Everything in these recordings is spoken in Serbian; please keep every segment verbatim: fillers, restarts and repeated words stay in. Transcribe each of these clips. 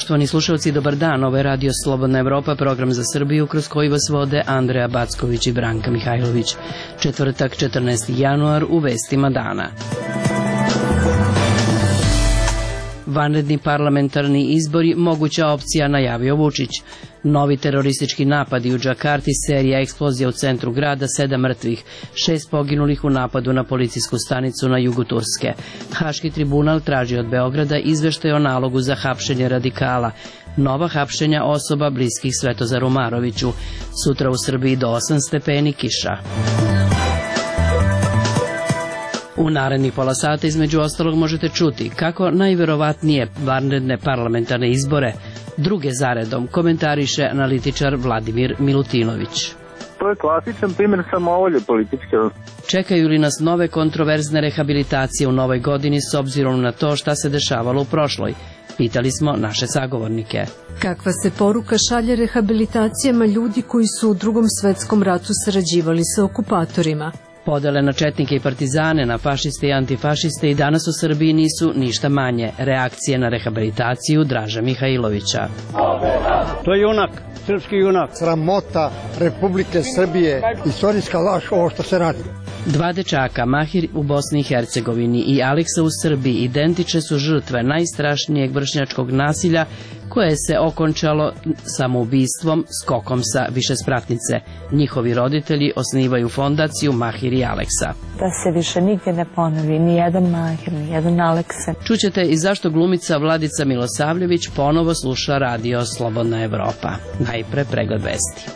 Poštovani slušalci, dobar dan. Ovo je Radio Slobodna Evropa, program za Srbiju kroz koji vas vode Andreja Backović i Branka Mihajlović. Četvrtak, četrnaesti januar, u vestima dana. Vanredni parlamentarni izbori, moguća opcija, najavio Vučić. Novi teroristički napadi u Džakarti, serija eksplozija u centru grada, sedam mrtvih, šest poginulih u napadu na policijsku stanicu na jugu Turske. Haški tribunal traži od Beograda izveštaj o nalogu za hapšenje radikala. Nova hapšenja osoba bliskih Svetozaru Maroviću. Sutra u Srbiji do osam stepeni, kiša. U narednih pola sata između ostalog možete čuti kako najverovatnije vanredne parlamentarne izbore druge zaredom komentariše analitičar Vladimir Milutinović. To je klasičan primjer samovolje političke. Čekaju li nas nove kontroverzne rehabilitacije u novoj godini s obzirom na to šta se dešavalo u prošloj? Pitali smo naše sagovornike. Kakva se poruka šalje rehabilitacijama ljudi koji su u Drugom svetskom ratu sarađivali sa okupatorima? Podele na četnike i partizane, na fašiste i antifašiste i danas u Srbiji nisu ništa manje. Reakcije na rehabilitaciju Draža Mihajlovića. To je junak, srpski junak. Sramota Republike Srbije, istorijska laž ovo što se radi. Dva dečaka, Mahir u Bosni i Hercegovini i Aleksa u Srbiji, identične su žrtve najstrašnijeg vršnjačkog nasilja koje se okončalo samoubistvom skokom sa višespratnice. Njihovi roditelji osnivaju fondaciju Mahir i Aleksa. Da se više nigdje ne ponovi ni jedan Mahir, ni jedan Aleksa. Čućete i zašto glumica Vladica Milosavljević ponovo sluša Radio Slobodna Evropa. Najpre pregled vesti.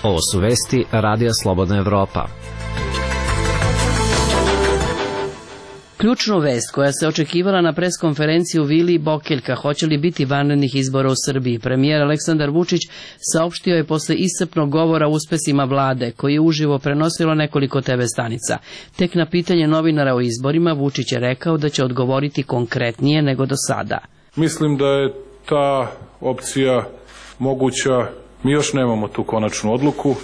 Ovo su vesti Radija Slobodna Evropa. Ključnu vest koja se očekivala na preskonferenciji u Vili Bokeljka, hoće li biti vanrednih izbora u Srbiji, premijer Aleksandar Vučić saopštio je posle iscrpnog govora o uspesima vlade, koji je uživo prenosilo nekoliko te ve stanica. Tek na pitanje novinara o izborima, Vučić je rekao da će odgovoriti konkretnije nego do sada. Mislim da je ta opcija moguća. Mi još nemamo tu konačnu odluku,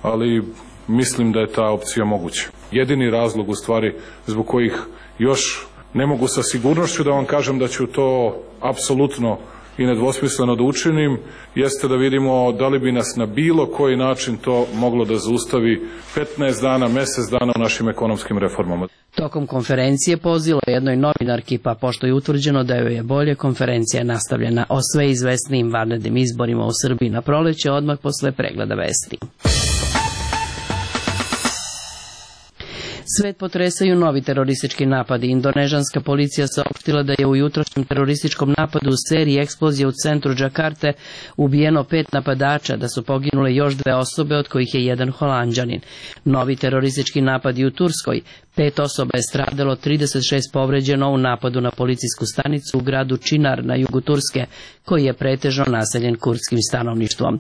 ali mislim da je ta opcija moguća. Jedini razlog u stvari zbog kojih još ne mogu sa sigurnošću da vam kažem da ću to apsolutno i nedvosmisleno da učinim, jeste da vidimo da li bi nas na bilo koji način to moglo da zaustavi petnaest dana, mesec dana u našim ekonomskim reformama. Tokom konferencije pozvalo jednoj novinarki, pa pošto je utvrđeno da joj je bolje, konferencija je nastavljena o sve izvesnijim vanrednim izborima u Srbiji na proleće, odmah posle pregleda vesti. Svet potresaju novi teroristički napadi. Indonežanska policija saopštila da je u jutrošnjem terorističkom napadu u seriji eksplozije u centru Džakarte ubijeno pet napadača, da su poginule još dve osobe, od kojih je jedan Holanđanin. Novi teroristički napadi u Turskoj. Pet osoba je stradalo, trideset šest povređeno u napadu na policijsku stanicu u gradu Činar na jugu Turske, koji je pretežno naseljen kurdskim stanovništvom.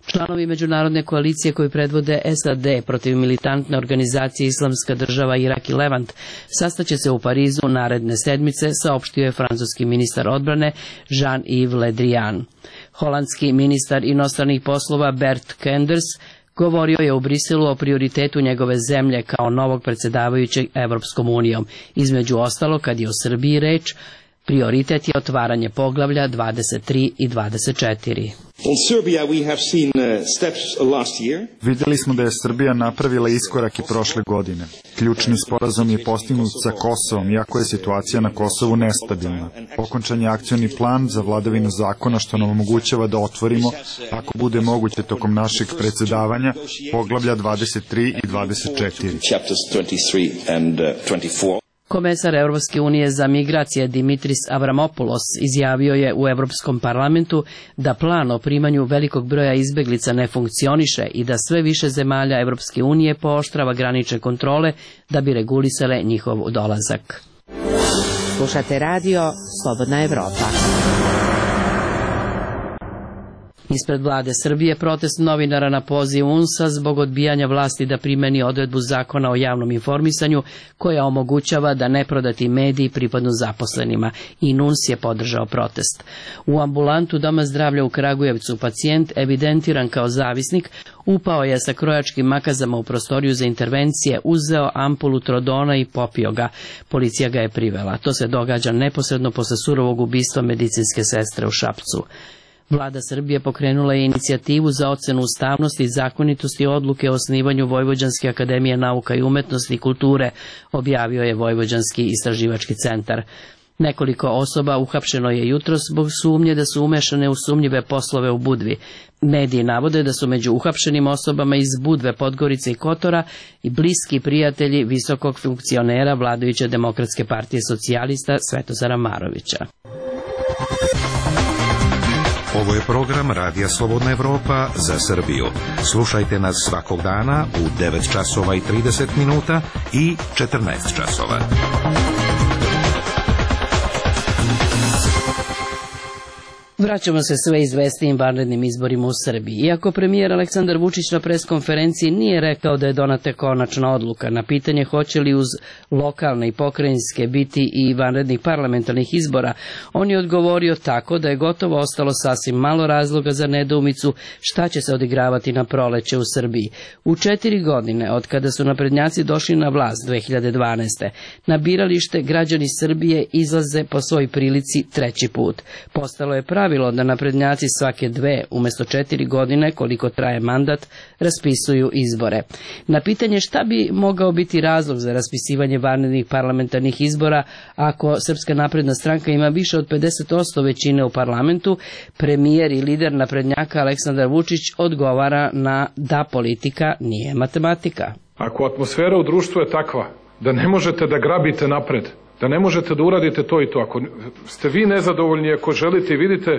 Članovi međunarodne koalicije koji predvode es a de protiv militantne organizacije Islamska država Irak i Levant sastaće se u Parizu naredne sedmice, saopštio je francuski ministar odbrane Jean-Yves Le Drian. Holandski ministar inostranih poslova Bert Kenders govorio je u Briselu o prioritetu njegove zemlje kao novog predsjedavajućeg Evropskom unijom. Između ostalo, kad je o Srbiji reč, prioritet je otvaranje poglavlja dvadeset tri i dvadeset četiri. Vidjeli smo da je Srbija napravila iskorak i prošle godine. Ključni sporazum je postignut sa Kosovom, iako je situacija na Kosovu nestabilna. Okončan je akcioni plan za vladavinu zakona, što nam omogućava da otvorimo, ako bude moguće tokom našeg predsjedavanja, poglavlja dvadeset tri i dvadeset četiri. Komesar Europske unije za migracije Dimitris Avramopoulos izjavio je u Europskom parlamentu da plan o primanju velikog broja izbeglica ne funkcioniše i da sve više zemalja Europske unije pooštrava granične kontrole da bi regulisale njihov dolazak. Slušate radio Slobodna Evropa. Ispred vlade Srbije protest novinara na poziv U N S A zbog odbijanja vlasti da primeni odredbu zakona o javnom informisanju koja omogućava da neprodati mediji pripadnu zaposlenima. I N U N S je podržao protest. U ambulantu Doma zdravlja u Kragujevcu pacijent evidentiran kao zavisnik upao je sa krojačkim makazama u prostoriju za intervencije, uzeo ampulu trodona i popio ga. Policija ga je privela. To se događa neposredno posle surovog ubistva medicinske sestre u Šapcu. Vlada Srbije pokrenula je inicijativu za ocenu ustavnosti i zakonitosti odluke o osnivanju Vojvođanske akademije nauka i umetnosti i kulture, objavio je Vojvođanski istraživački centar. Nekoliko osoba uhapšeno je jutros zbog sumnje da su umešane u sumnjive poslove u Budvi. Mediji navode da su među uhapšenim osobama iz Budve, Podgorice i Kotora i bliski prijatelji visokog funkcionera vladajuće Demokratske partije socijalista Svetozara Marovića. Ovo je program Radija Slobodna Evropa za Srbiju. Slušajte nas svakog dana u devet časova i trideset minuta i četrnaest časova. Vraćamo se sve izvestijim vanrednim izborima u Srbiji. Iako premijer Aleksandar Vučić na preskonferenciji nije rekao da je donata konačna odluka na pitanje hoće li uz lokalne i pokrajinske biti i vanrednih parlamentarnih izbora, on je odgovorio tako da je gotovo ostalo sasvim malo razloga za nedoumicu šta će se odigravati na proleće u Srbiji. U četiri godine od kada su naprednjaci došli na vlast dve hiljade dvanaeste. na biralište građani Srbije izlaze po svoj prilici treći put. Postalo je pravilo da naprednjaci svake dve, umesto četiri godine, koliko traje mandat, raspisuju izbore. Na pitanje šta bi mogao biti razlog za raspisivanje vanrednih parlamentarnih izbora ako Srpska napredna stranka ima više od pedeset posto većine u parlamentu, premijer i lider naprednjaka Aleksandar Vučić odgovara na da politika nije matematika. Ako atmosfera u društvu je takva da ne možete da grabite napred, da ne možete da uradite to i to. Ako ste vi nezadovoljni, ako želite i vidite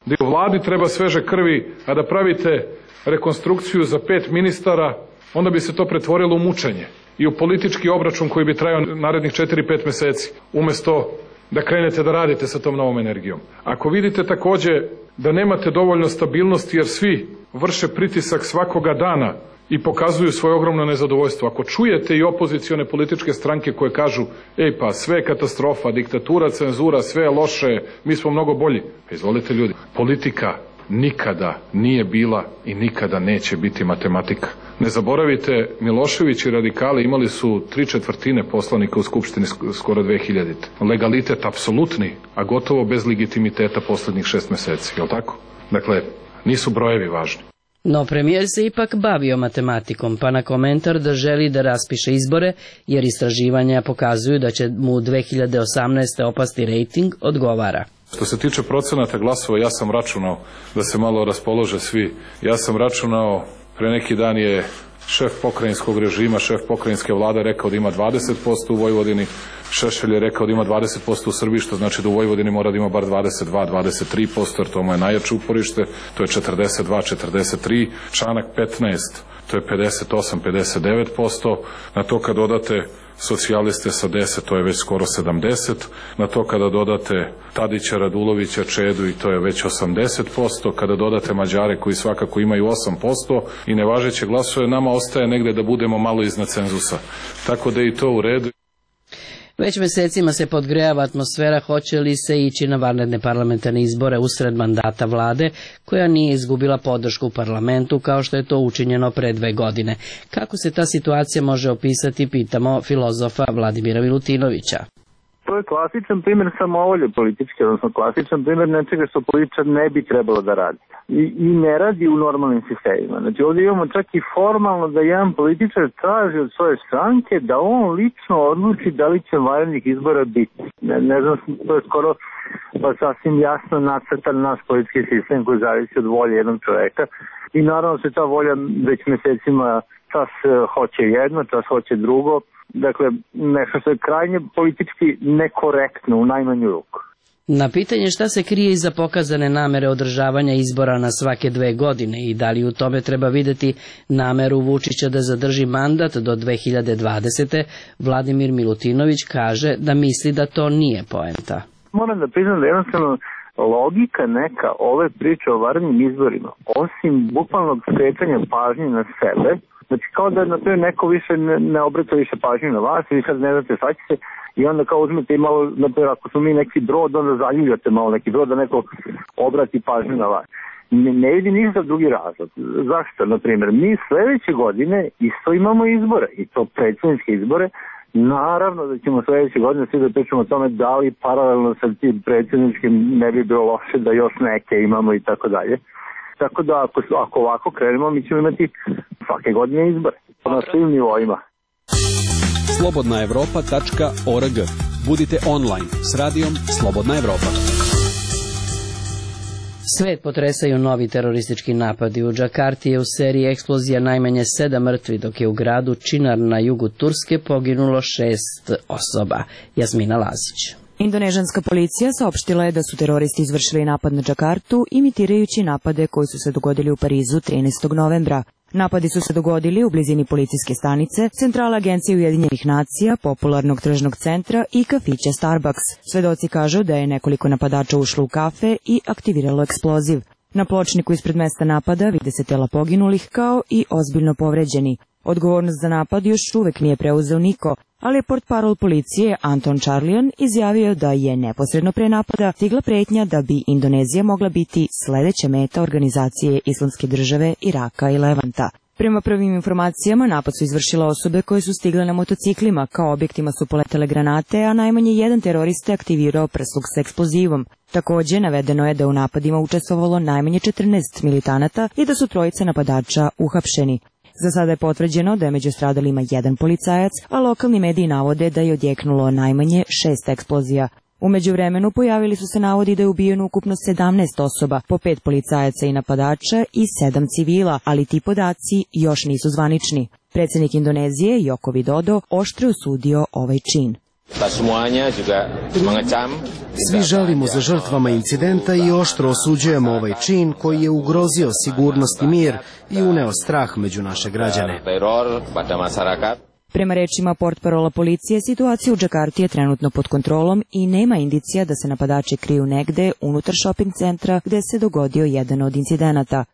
da i u vladi treba sveže krvi, a da pravite rekonstrukciju za pet ministara, onda bi se to pretvorilo u mučenje i u politički obračun koji bi trajao narednih četiri pet meseci, umesto da krenete da radite sa tom novom energijom. Ako vidite takođe da nemate dovoljno stabilnosti jer svi vrše pritisak svakoga dana i pokazuju svoje ogromno nezadovoljstvo. Ako čujete i opozicione političke stranke koje kažu ej pa sve je katastrofa, diktatura, cenzura, sve je loše, mi smo mnogo bolji. Pa izvolite ljudi, politika nikada nije bila i nikada neće biti matematika. Ne zaboravite, Milošević i radikali imali su tri četvrtine poslanika u Skupštini skoro dve hiljadite. Legalitet apsolutni, a gotovo bez legitimiteta poslednjih šest meseci, je li tako? Dakle, nisu brojevi važni. No premijer se ipak bavio matematikom, pa na komentar da želi da raspiše izbore, jer istraživanja pokazuju da će mu dve hiljade osamnaeste. opasti rejting, odgovara. Što se tiče procenata glasova, ja sam računao da se malo raspolože svi. Ja sam računao, pre neki dan je šef pokrajinskog režima, šef pokrajinske vlade rekao da ima dvadeset posto u Vojvodini, Šešelj je rekao da ima dvadeset posto u Srbiji, što znači da u Vojvodini mora da ima bar dvadeset dva do dvadeset tri posto, jer to mu je najjače uporište, to je četrdeset dva do četrdeset tri, Čanak petnaest, to je pedeset osam do pedeset devet posto, na to kad dodate socijaliste sa deset, to je već skoro sedamdeset, na to kada dodate Tadića, Radulovića, Čedu i to je već osamdeset posto, kada dodate Mađare koji svakako imaju osam posto i nevažeće glasove, nama ostaje negde da budemo malo iznad cenzusa. Tako da je i to u redu. Već mesecima se podgrejava atmosfera hoće li se ići na vanredne parlamentarne izbore usred mandata vlade, koja nije izgubila podršku u parlamentu kao što je to učinjeno pre dve godine. Kako se ta situacija može opisati, pitamo filozofa Vladimira Milutinovića. To je klasičan primjer samovolje političke, odnosno klasičan primjer nečega što političar ne bi trebalo da radi. I, i ne radi u normalnim sistemima. Znači ovdje imamo čak i formalno da jedan političar traži od svoje stranke da on lično odluči da li će vanrednih izbora biti. Ne, ne znam, to je skoro pa sasvim jasno nacrtan naš politički sistem koji zavisi od volje jednog čoveka. I naravno se ta volja već mesecima čas hoće jedno, čas hoće drugo. Dakle, nešto što je krajnje politički nekorektno u najmanju ruku. Na pitanje šta se krije iza pokazane namere održavanja izbora na svake dve godine i da li u tome treba videti nameru Vučića da zadrži mandat do dve hiljade dvadesete. Vladimir Milutinović kaže da misli da to nije poenta. Moram da priznam da jednostavno logika neka ove priče o vanrednim izborima, osim bukvalnog skretanja pažnje na sebe, znači kao da na to neko više ne, ne obrata više pažnju na vas i sad ne znate šta će se i onda kao uzmete i malo, naprijed, ako smo mi neki brod, onda zaljujate malo neki brod da neko obrati pažnju na vas. Ne, ne vidi ništa drugi razlog. Zašto? Naprimjer, mi sledeće godine isto imamo izbore i to predsjedničke izbore. Naravno da ćemo sledeće godine svi da pričamo o tome da li paralelno sa tim predsjedničkim ne bi bilo loše da još neke imamo i tako dalje. Tako da ako, ako ovako krenemo mi ćemo imati svake godine izbore na svim nivoima. slobodna evropa tačka org. Budite online s radijom Slobodna Evropa. Svet potresaju novi teroristički napadi. U Džakarti je u seriji eksplozija najmanje sedam mrtvi, dok je u gradu Činar na jugu Turske poginulo šest osoba. Jasmina Lazić. Indonežanska policija saopštila je da su teroristi izvršili napad na Džakartu, imitirajući napade koji su se dogodili u Parizu trinaestog novembra. Napadi su se dogodili u blizini policijske stanice, centrala Agencije Ujedinjenih nacija, popularnog tržnog centra i kafića Starbucks. Svedoci kažu da je nekoliko napadača ušlo u kafe i aktiviralo eksploziv. Na pločniku ispred mesta napada vide se tela poginulih kao i ozbiljno povređeni. Odgovornost za napad još uvek nije preuzeo niko, ali je portparol policije Anton Charlian izjavio da je neposredno pre napada stigla pretnja da bi Indonezija mogla biti sledeća meta organizacije Islamske države, Iraka i Levanta. Prema prvim informacijama, napad su izvršile osobe koje su stigle na motociklima, kao objektima su poletele granate, a najmanje jedan terorista je aktivirao prsluk sa eksplozivom. Takođe, navedeno je da u napadima učestvovalo najmanje četrnaest militanata i da su trojica napadača uhapšeni. Za sada je potvrđeno da je među stradalima jedan policajac, a lokalni mediji navode da je odjeknulo najmanje šest eksplozija. U međuvremenu pojavili su se navodi da je ubijeno ukupno sedamnaest osoba, po pet policajaca i napadača i sedam civila, ali ti podaci još nisu zvanični. Predsjednik Indonezije, Joko Widodo, oštro je osudio ovaj čin. Svi žalimo za žrtvama incidenta i oštro osuđujemo ovaj čin koji je ugrozio sigurnost i mir i uneo strah među naše građane. Prema rečima portparola policije, situacija u Džakarti je trenutno pod kontrolom i nema indicija da se napadači kriju negde unutar šoping centra gde se dogodio jedan od incidenata.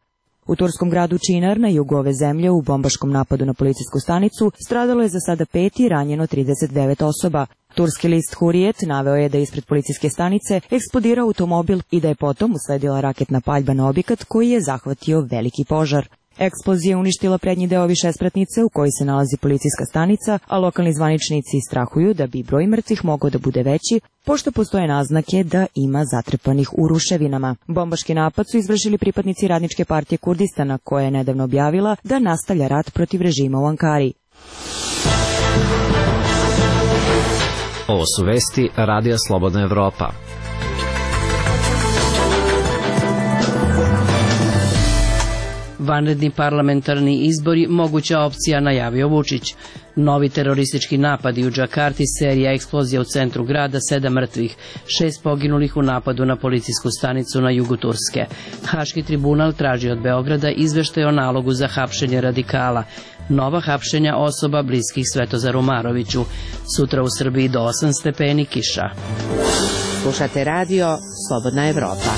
U turskom gradu Činar, na jugu ove zemlje, u bombaškom napadu na policijsku stanicu, stradalo je za sada pet i ranjeno trideset devet osoba. Turski list Hurijet naveo je da je ispred policijske stanice eksplodirao automobil i da je potom usledila raketna paljba na objekat koji je zahvatio veliki požar. Eksplozija je uništila prednji deo višespratnice u kojoj se nalazi policijska stanica, a lokalni zvaničnici strahuju da bi broj mrtvih mogao da bude veći, pošto postoje naznake da ima zatrpanih u ruševinama. Bombaški napad su izvršili pripadnici Radničke partije Kurdistana, koja je nedavno objavila da nastavlja rat protiv režima u Ankari. Ovo su vesti Radija Slobodna Evropa. Vanredni parlamentarni izbori moguća opcija, najavio Vučić. Novi teroristički napadi u Džakarti, serija eksplozija u centru grada, sedam mrtvih, šest poginulih u napadu na policijsku stanicu na jugu Turske. Haški tribunal traži od Beograda izveštaj o nalogu za hapšenje radikala. Nova hapšenja osoba bliskih Svetozaru Maroviću. Sutra u Srbiji do osam stepeni, kiša. Slušate radio Slobodna Evropa.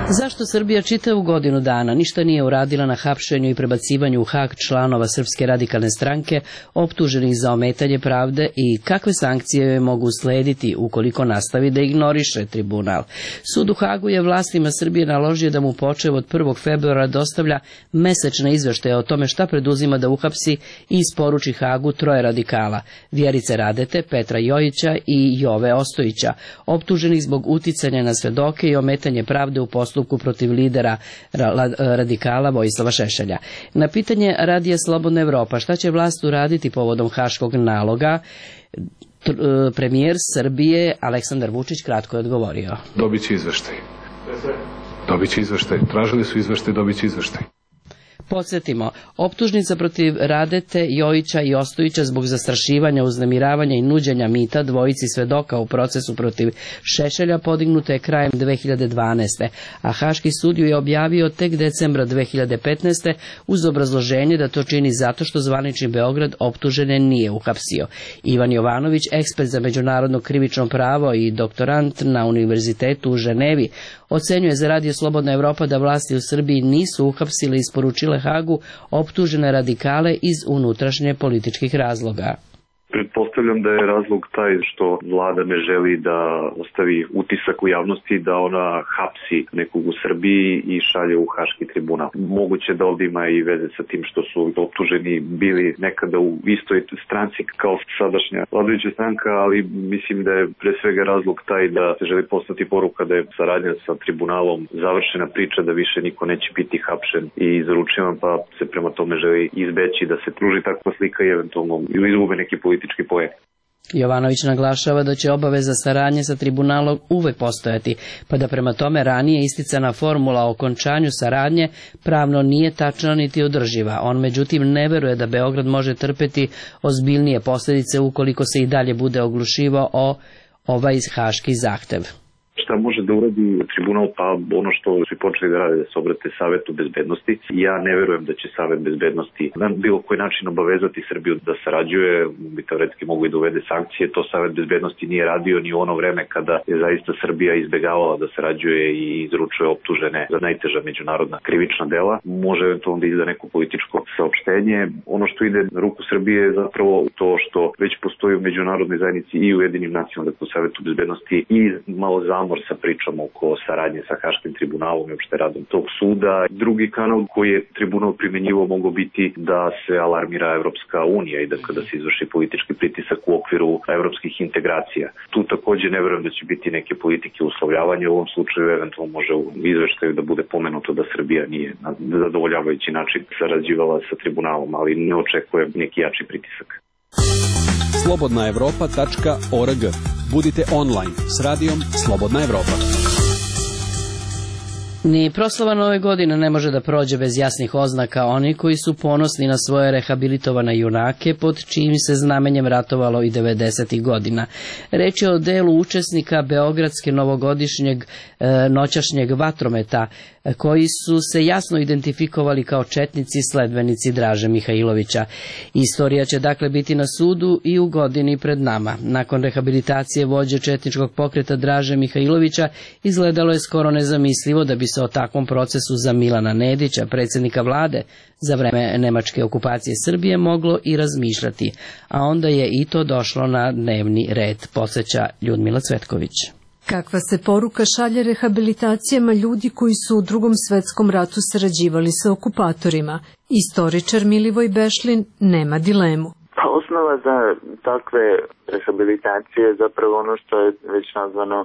Zašto Srbija čitavu godinu dana ništa nije uradila na hapšenju i prebacivanju u Hag članova Srpske radikalne stranke optuženih za ometanje pravde i kakve sankcije mogu uslediti ukoliko nastavi da ignoriše tribunal? Sud u Hagu je vlastima Srbije naložio da mu počev od prvog februara dostavlja mesečne izveštaje o tome šta preduzima da uhapsi i isporuči Hagu troje radikala, Vjerice Radete, Petra Jojića i Jove Ostojića, optuženih zbog uticanja na svedoke i ometanje pravde u postupku protiv lidera radikala Vojislava Šešelja. Na pitanje Radija Slobodna Evropa šta će vlast uraditi povodom haškog naloga, premijer Srbije Aleksandar Vučić kratko je odgovorio. Dobit će izveštaj. Dobit će izveštaj. Tražili su izveštaj, dobit će izveštaj. Podsjetimo, optužnica protiv Radete, Jojića i Ostojića zbog zastrašivanja, uznemiravanja i nuđenja mita dvojici svedoka u procesu protiv Šešelja podignuta je krajem dve hiljade dvanaeste. a Haški sud ju je objavio tek decembra dve hiljade petnaeste. uz obrazloženje da to čini zato što zvanični Beograd optužene nije uhapsio. Ivan Jovanović, ekspert za međunarodno krivično pravo i doktorant na Univerzitetu u Ženevi, ocenjuje za Radio Slobodna Evropa da vlasti u Srbiji nisu uhapsile i isporučile Hagu optužene radikale iz unutrašnje političkih razloga. Pretpostavljam da je razlog taj što vlada ne želi da ostavi utisak u javnosti da ona hapsi nekog u Srbiji i šalje u Haški tribunal. Moguće da ovdje ima i veze sa tim što su optuženi bili nekada u istoj stranci kao sadašnja vladajuća stranka, ali mislim da je pre svega razlog taj da se želi poslati poruka da je saradnja sa tribunalom završena priča, da više niko neće biti hapšen i izručivan, pa se prema tome želi izbeći da se pruži takva slika i eventualno izgube neki politički poen. Jovanović naglašava da će obaveza saradnje sa tribunalom uvek postojati, pa da prema tome ranije isticana formula o okončanju saradnje pravno nije tačna niti održiva. On međutim ne veruje da Beograd može trpeti ozbiljnije posljedice ukoliko se i dalje bude oglušivao o ovaj haški zahtev. Šta može da uradi tribunal? Pa ono što su počeli da rade, da se obrate Savetu bezbednosti. Ja ne verujem da će Savet bezbednosti na bilo koji način obavezati Srbiju da sarađuje, bi teoretski mogu i da uvede sankcije. To Savet bezbednosti nije radio ni u ono vreme kada je zaista Srbija izbegavala da sarađuje i izručuje optužene za najteža međunarodna krivična dela. Može eventualno da izda neko političko saopštenje. Ono što ide na ruku Srbije je zapravo to što već postoji u međunarodnoj zajednici i u Ujedinjenim nacijama, dakle u Savetu bezbednosti, i malo zamor sa pričom oko saradnje sa Haškim tribunalom i uopšte radom tog suda. Drugi kanal koji je tribunal primenjivao mogao biti da se alarmira Evropska unija i da kada se izvrši politički pritisak u okviru evropskih integracija. Tu također ne verujem da će biti neke politike uslovljavanja. U ovom slučaju eventualno može u izveštaju da bude pomenuto da Srbija nije na zadovoljavajući način sarađivala sa tribunalom, ali ne očekujem neki jači pritisak. slobodna evropa tačka org. Budite online s radijom Slobodna Evropa. Ni proslava nove godine ne može da prođe bez jasnih oznaka. Oni koji su ponosni na svoje rehabilitovane junake, pod čijim se znamenjem ratovalo i devedesetih godina. Reč je o delu učesnika Beogradske novogodišnjeg e, noćašnjeg vatrometa, koji su se jasno identifikovali kao četnici sledbenici Draže Mihajlovića. Istorija će dakle biti na sudu i u godini pred nama. Nakon rehabilitacije vođe četničkog pokreta Draže Mihajlovića izgledalo je skoro nezamislivo da bi se o takvom procesu za Milana Nedića, predsjednika vlade za vreme nemačke okupacije Srbije, moglo i razmišljati, a onda je i to došlo na dnevni red, podsjeća Ljudmila Cvetković. Kakva se poruka šalje rehabilitacijama ljudi koji su u drugom svetskom ratu sarađivali sa okupatorima? Istoričar Milivoj Bešlin nema dilemu. Pa osnova za takve rehabilitacije je zapravo ono što je već nazvano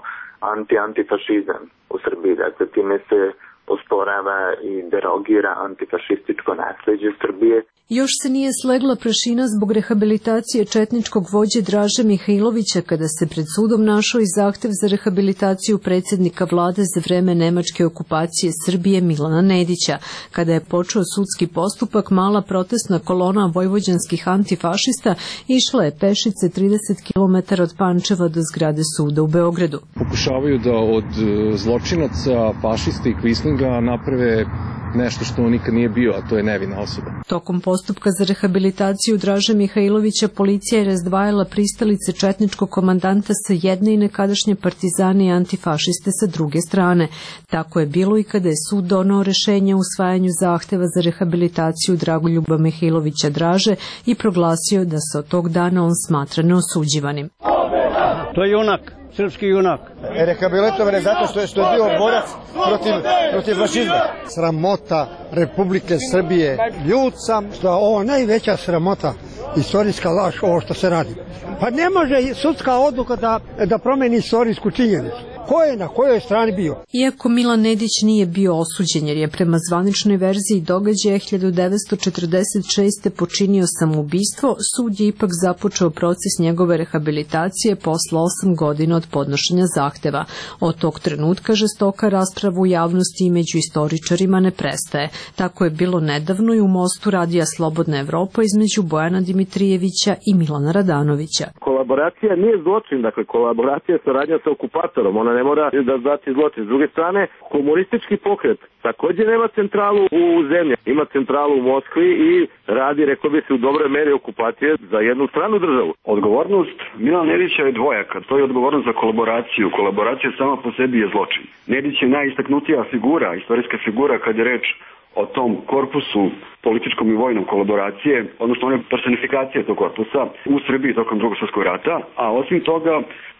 anti-antifašizam u Srbiji. Dakle, time se osporava i derogira antifašističko nasleđe Srbije. Još se nije slegla prašina zbog rehabilitacije četničkog vođe Draže Mihajlovića kada se pred sudom našao i zahtev za rehabilitaciju predsjednika vlade za vreme nemačke okupacije Srbije Milana Nedića. Kada je počeo sudski postupak, mala protestna kolona vojvođanskih antifašista išla je pešice trideset kilometara od Pančeva do zgrade suda u Beogradu. Pokušavaju da od zločinaca, fašista i kvislinga naprave nešto što on nikad nije bio, a to je nevina osoba. Tokom postupka za rehabilitaciju Draže Mihajlovića policija je razdvajala pristalice četničkog komandanta sa jedne i nekadašnje partizane i antifašiste sa druge strane. Tako je bilo i kada je sud donao rešenje o usvajanju zahteva za rehabilitaciju Dragoljuba Mihajlovića Draže i proglasio da se od tog dana on smatra neosuđivanim. To je junak. Srpski junak. Rehabilitovan je zato što je, što je bio borac protiv, protiv fašizma. Sramota Republike Srbije. Ljud sam što je ovo najveća sramota, istorijska laž, ovo što se radi. Pa ne može sudska odluka da, da promeni istorijsku činjenicu. ko je na kojoj strani bio. Iako Milan Nedić nije bio osuđen jer je prema zvaničnoj verziji događaja hiljadu devetsto četrdeset šeste. počinio samoubistvo, sud je ipak započeo proces njegove rehabilitacije posle osam godina od podnošenja zahteva. Od tog trenutka žestoka rasprava u javnosti i među istoričarima ne prestaje. Tako je bilo nedavno i u mostu Radija Slobodna Evropa između Bojana Dimitrijevića i Milana Radanovića. Kolaboracija nije zločin, dakle kolaboracija je saradnja sa okupatorom, ona ne mora da znači zločin. S druge strane, komunistički pokret također nema centralu u zemlji, ima centralu u Moskvi i radi, rekao bi se, u dobroj meri okupacije za jednu stranu državu. Odgovornost Milana Nedića je dvojaka, to je odgovornost za kolaboraciju. Kolaboracija sama po sebi je zločin. Nedić je najistaknutija figura, istorijska figura kad je reč o tom korpusu političkom i vojnom kolaboracije, odnosno one personifikacije tog korpusa u Srbiji tokom Drugog svjetskog rata, a osim toga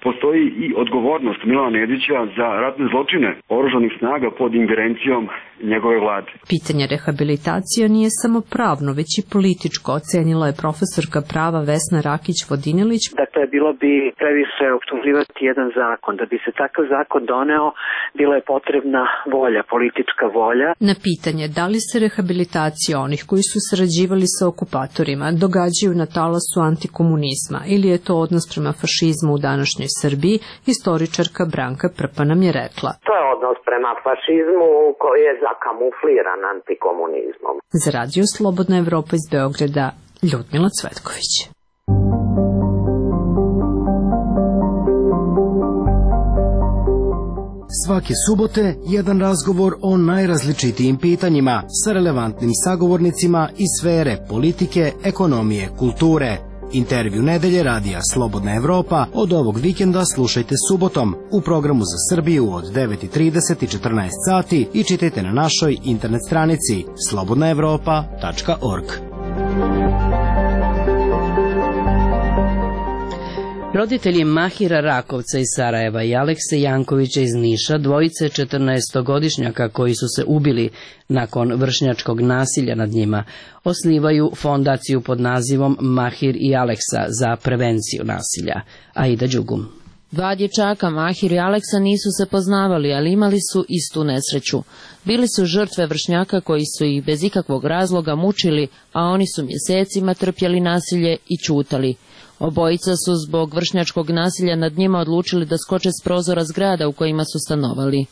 postoji i odgovornost Milana Nedića za ratne zločine oružanih snaga pod ingerencijom njegove vlade. Pitanje rehabilitacija nije samo pravno, već i političko, ocenila je profesorka prava Vesna Rakić-Vodinilić. Dakle, bilo bi previše optuživati jedan zakon. Da bi se takav zakon doneo, bila je potrebna volja, politička volja. Na pitanje da li se rehabilitacija onih koji su sarađivali sa okupatorima događaju na talasu antikomunizma ili je to odnos prema fašizmu u današnjoj Srbiji, istoričarka Branka Prpa nam je rekla. To je odnos prema fašizmu koji je zakamufliran antikomunizmom. Za Radio Slobodna Evropa iz Beograda, Ljudmila Cvetković. Svake subote jedan razgovor o najrazličitijim pitanjima sa relevantnim sagovornicima iz sfere politike, ekonomije, kulture. Intervju nedelje Radija Slobodna Evropa od ovog vikenda slušajte subotom u programu za Srbiju od devet i trideset i četrnaest sati i čitajte na našoj internet stranici slobodna evropa tačka org. Roditelji Mahira Rakovca iz Sarajeva i Alekse Jankovića iz Niša, dvojice četrnaestogodišnjaka koji su se ubili nakon vršnjačkog nasilja nad njima, osnivaju fondaciju pod nazivom Mahir i Aleksa za prevenciju nasilja. Aida Đugum. Dva dječaka, Mahir i Aleksa, nisu se poznavali, ali imali su istu nesreću. Bili su žrtve vršnjaka koji su ih bez ikakvog razloga mučili, a oni su mjesecima trpjeli nasilje i ćutali. Obojica su zbog vršnjačkog nasilja nad njima odlučili da skoče s prozora zgrada u kojima su stanovali.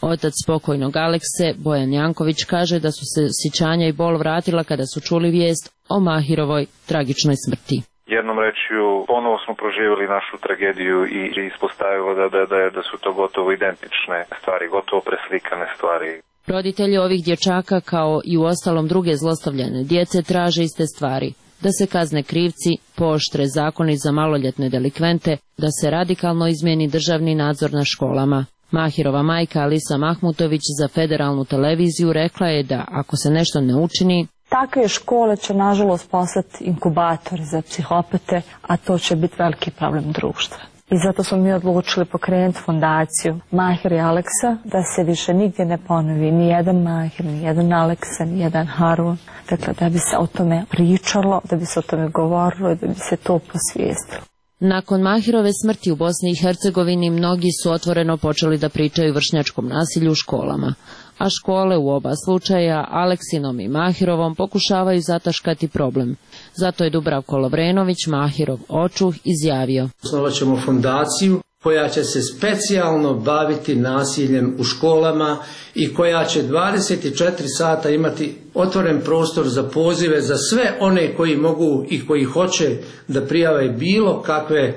Otac pokojnog Alekse, Bojan Janković, kaže da su se sjećanja i bol vratila kada su čuli vijest o Mahirovoj tragičnoj smrti. Jednom rečju, ponovo smo proživjeli našu tragediju i ispostavilo da, da, da, da su to gotovo identične stvari, gotovo preslikane stvari. Roditelji ovih dječaka, kao i u ostalom druge zlostavljane djece, traže iste stvari. Da se kazne krivci, pooštre zakoni za maloljetne delikvente, da se radikalno izmijeni državni nadzor na školama. Mahirova majka Alisa Mahmutović za federalnu televiziju rekla je da ako se nešto ne učini, takve škole će nažalost postati inkubatori za psihopate, a to će biti veliki problem društva. I zato smo mi odlučili pokrenuti fondaciju Mahir i Aleksa, da se više nigdje ne ponovi ni jedan Mahir, ni jedan Aleksa, ni jedan Harun. Dakle, da bi se o tome pričalo, da bi se o tome govorilo i da bi se to posvijestilo. Nakon Mahirove smrti u Bosni i Hercegovini mnogi su otvoreno počeli da pričaju vršnjačkom nasilju u školama, a škole u oba slučaja, Aleksinom i Mahirovom, pokušavaju zataškati problem. Zato je Dubravko Lovrenović, Mahirov očuh, izjavio: Osnovat ćemo fondaciju koja će se specijalno baviti nasiljem u školama i koja će dvadeset četiri sata imati otvoren prostor za pozive za sve one koji mogu i koji hoće da prijave bilo kakve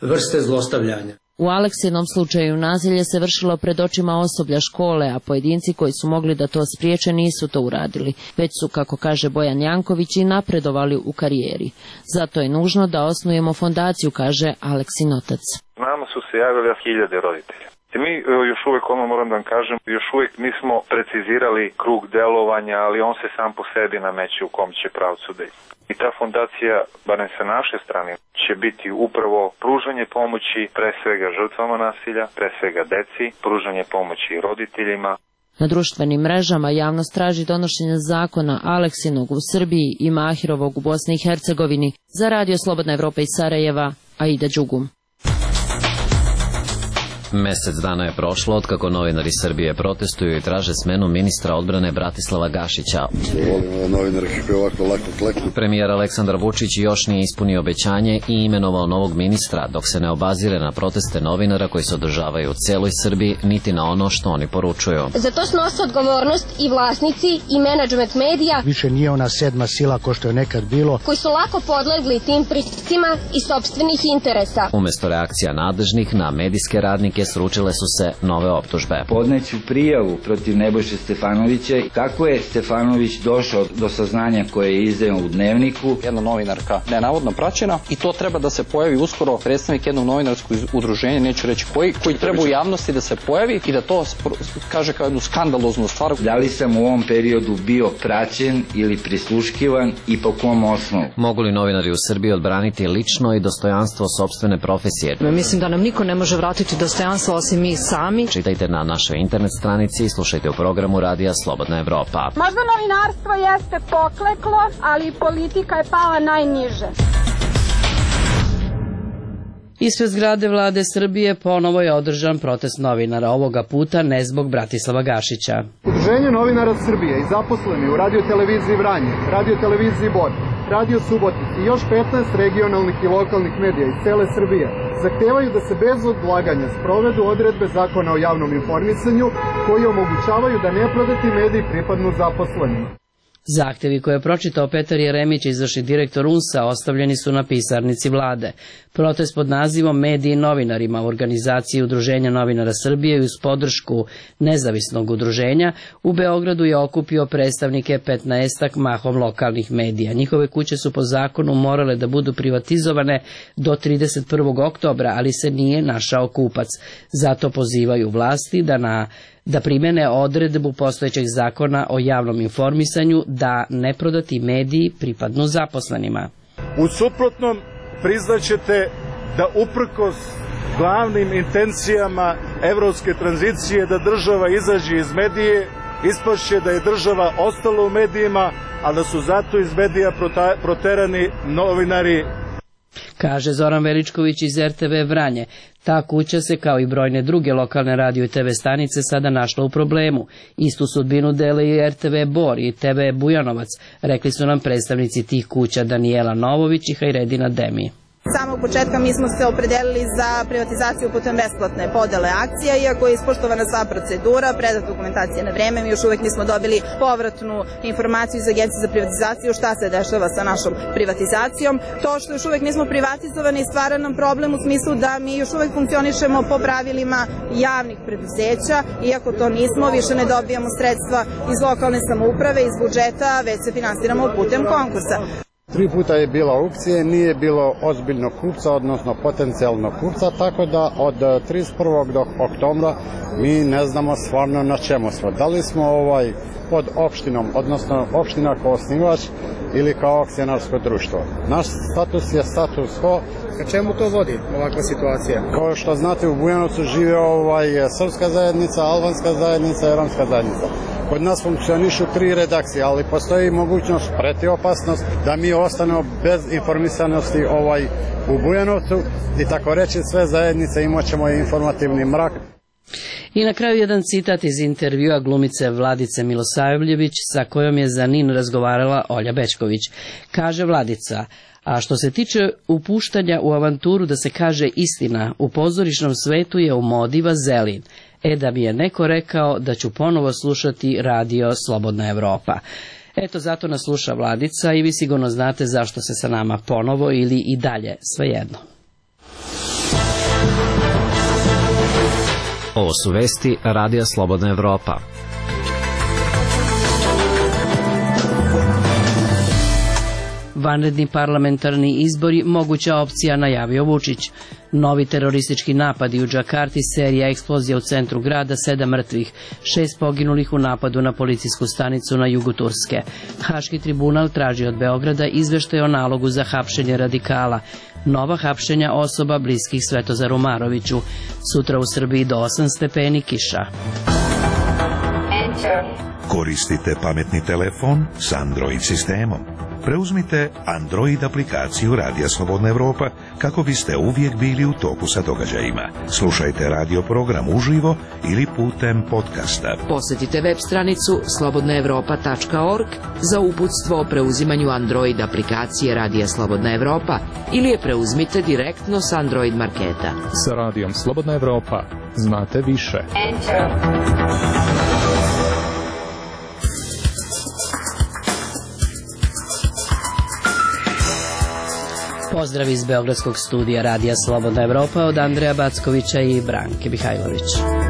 vrste zlostavljanja. U Aleksinom slučaju nasilje se vršilo pred očima osoblja škole, a pojedinci koji su mogli da to spriječe nisu to uradili, već su, kako kaže Bojan Janković, i napredovali u karijeri. Zato je nužno da osnujemo fondaciju, kaže Aleksin otac. Nama su se javili hiljade roditelja. I mi još uvijek, ono moram da vam kažem, još uvijek nismo precizirali krug delovanja, ali on se sam po sebi nameće u kom će pravcu da ide. I ta fondacija, barem sa naše strane, će biti upravo pružanje pomoći pre svega žrtvama nasilja, pre svega deci, pružanje pomoći roditeljima. Na društvenim mrežama javnost traži donošenje zakona Aleksinog u Srbiji i Mahirovog u Bosni i Hercegovini. Za Radio Slobodna Evropa iz Sarajeva, Aida Đugum. Mesec dana je prošlo od kako novinari Srbije protestuju i traže smenu ministra odbrane Bratislava Gašića. Premijer Aleksandar Vučić još nije ispunio obećanje i imenovao novog ministra, dok se ne obazire na proteste novinara koji se održavaju u celoj Srbiji, niti na ono što oni poručuju. Za to snose odgovornost i vlasnici i menadžment medija. Više nije ona sedma sila ko što je nekad bilo. Koji su lako podlegli tim pritiscima i sopstvenih interesa. Umesto reakcija nadležnih na medijske radnike sručile su se nove optužbe. Podneću prijavu protiv Nebojše Stefanovića. Kako je Stefanović došao do saznanja koje je izdao u Dnevniku? Jedna novinarka nenavodno praćena i to treba da se pojavi uskoro predstavnik jednog novinarskog udruženja, neću reći koji, koji treba u javnosti da se pojavi i da to kaže kao jednu skandaloznu stvar. Da li sam u ovom periodu bio praćen ili prisluškivan i po kom osnovu? Mogu li novinari u Srbiji odbraniti lično i dostojanstvo sopstvene profesije? Mislim da nam niko ne može vratiti dostojanstvo osim mi sami. Čitajte na našoj internet stranici i slušajte u programu Radija Slobodna Evropa. Možda novinarstvo jeste pokleklo, ali politika je pala najniže. Ispred zgrade vlade Srbije ponovo je održan protest novinara, ovoga puta ne zbog Bratislava Gašića. Udruženje novinara Srbije i zaposleni u radioteleviziji Vranje, radioteleviziji Bor, Radio Subotica i još petnaest regionalnih i lokalnih medija iz cele Srbije zahtevaju da se bez odlaganja sprovedu odredbe Zakona o javnom informisanju koji omogućavaju da neprodati mediji pripadnu zaposlenima. Zahtevi koje je pročitao Petar Jeremić, izvršni direktor U N S A, ostavljeni su na pisarnici vlade. Protest pod nazivom Mediji novinarima u organizaciji Udruženja novinara Srbije i uz podršku nezavisnog udruženja u Beogradu je okupio predstavnike petnaestak mahom lokalnih medija. Njihove kuće su po zakonu morale da budu privatizovane do trideset prvog oktobra, ali se nije našao kupac. Zato pozivaju vlasti da na da primene odredbu postojećeg zakona o javnom informisanju da neprodati mediji pripadnu zaposlenima. U suprotnom priznaćete da uprkos glavnim intencijama evropske tranzicije da država izađe iz medije, ispašće da je država ostala u medijima, a da su zato iz medija proterani novinari. Kaže Zoran Veličković iz R T V Vranje. Ta kuća se, kao i brojne druge lokalne radio i T V stanice, sada našla u problemu. Istu sudbinu dele i R T V Bor i T V Bujanovac, rekli su nam predstavnici tih kuća Danijela Novović i Hajredina Demi. Samog početka mi smo se opredelili za privatizaciju putem besplatne podele akcija, iako je ispoštovana sva procedura, predat dokumentacija na vreme, mi još uvek nismo dobili povratnu informaciju iz Agencije za privatizaciju šta se dešava sa našom privatizacijom. To što još uvek nismo privatizovani stvara nam problem u smislu da mi još uvek funkcionišemo po pravilima javnih preduzeća, iako to nismo, više ne dobijamo sredstva iz lokalne samouprave, iz budžeta, već se finansiramo putem konkursa. Tri puta je bila aukcije, nije bilo ozbiljnog kupca, odnosno potencijalnog kupca, tako da od trideset prvog do oktobra mi ne znamo stvarno na čemu smo. Da li smo ovaj pod opštinom, odnosno opština kao osnivač ili kao akcionarsko društvo. Naš status je status quo. Ka čemu to vodi ovakva situacija? Kao što znate, u Bujanovcu žive ovaj srpska zajednica, albanska zajednica i romska zajednica. Kod nas funkcionišu tri redakcije, ali postoji mogućnost, preti opasnost, da mi ostanemo bez informisanosti ovaj u Bujanovcu i tako reći sve zajednice imat ćemo informativni mrak. I na kraju jedan citat iz intervjua glumice Vladice Milosavljević sa kojom je za N I N razgovarala Olja Bećković. Kaže Vladica: a što se tiče upuštanja u avanturu da se kaže istina, u pozorišnom svetu je u modi vazelin. E da mi je neko rekao da ću ponovo slušati radio Slobodna Evropa. Eto, zato nas sluša Vladica i vi sigurno znate zašto se sa nama ponovo ili i dalje, svejedno. Ovo su vesti Radija Slobodna Evropa. Vanredni parlamentarni izbori moguća opcija, najavio Vučić. Novi teroristički napadi u Džakarti, serija eksplozija u centru grada, sedam mrtvih, šest poginulih u napadu na policijsku stanicu na jugu Turske. Haški tribunal traži od Beograda izveštaj o nalogu za hapšenje radikala. Nova hapšenja osoba bliskih Svetozaru Maroviću. Sutra u Srbiji do osam stepeni, kiša. Koristite pametni telefon s Android sistemom. preuzmite Android aplikaciju Radija Slobodna Evropa kako biste uvijek bili u toku sa događajima. Slušajte radio program uživo ili putem podcasta. Posjetite web stranicu slobodna evropa tačka org za uputstvo o preuzimanju Android aplikacije Radija Slobodna Evropa ili je preuzmite direktno s Android marketa. Sa Radijom Slobodna Evropa znate više. Pozdrav iz Beogradskog studija Radija Slobodna Evropa od Andreja Backovića i Branke Mihajlović.